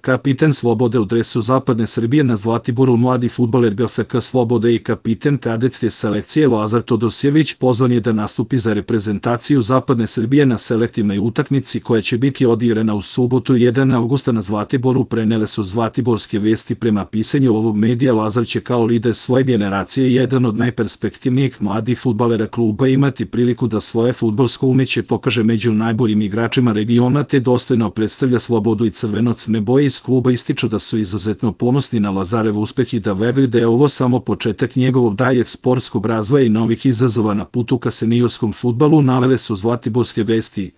Kapiten Slobode u dresu Zapadne Srbije na Zlatiboru mladi fudbaler GFK Slobode i kapiten kadetske selekcije Lazar Todosjević pozvan je da nastupi za reprezentaciju Zapadne Srbije na selektivnoj utakmici koja će biti odigrana u subotu 1. avgusta na Zlatiboru, prenele su Zlatiborske vesti. Prema pisanju ovog medija, Lazar će kao lider svoje generacije i jedan od najperspektivnijih mladih fudbalera kluba imati priliku da svoje fudbalsko umeće pokaže među najboljim igračima regiona te dostojno predstavlja Slobodu i crveno-crne boje. Iz kluba ističu da su izuzetno ponosni na Lazarev uspeh i da veruju da je ovo samo početak njegovog daljeg sportskog razvoja i novih izazova na putu ka seniorskom fudbalu, navele su Zlatiborske vesti.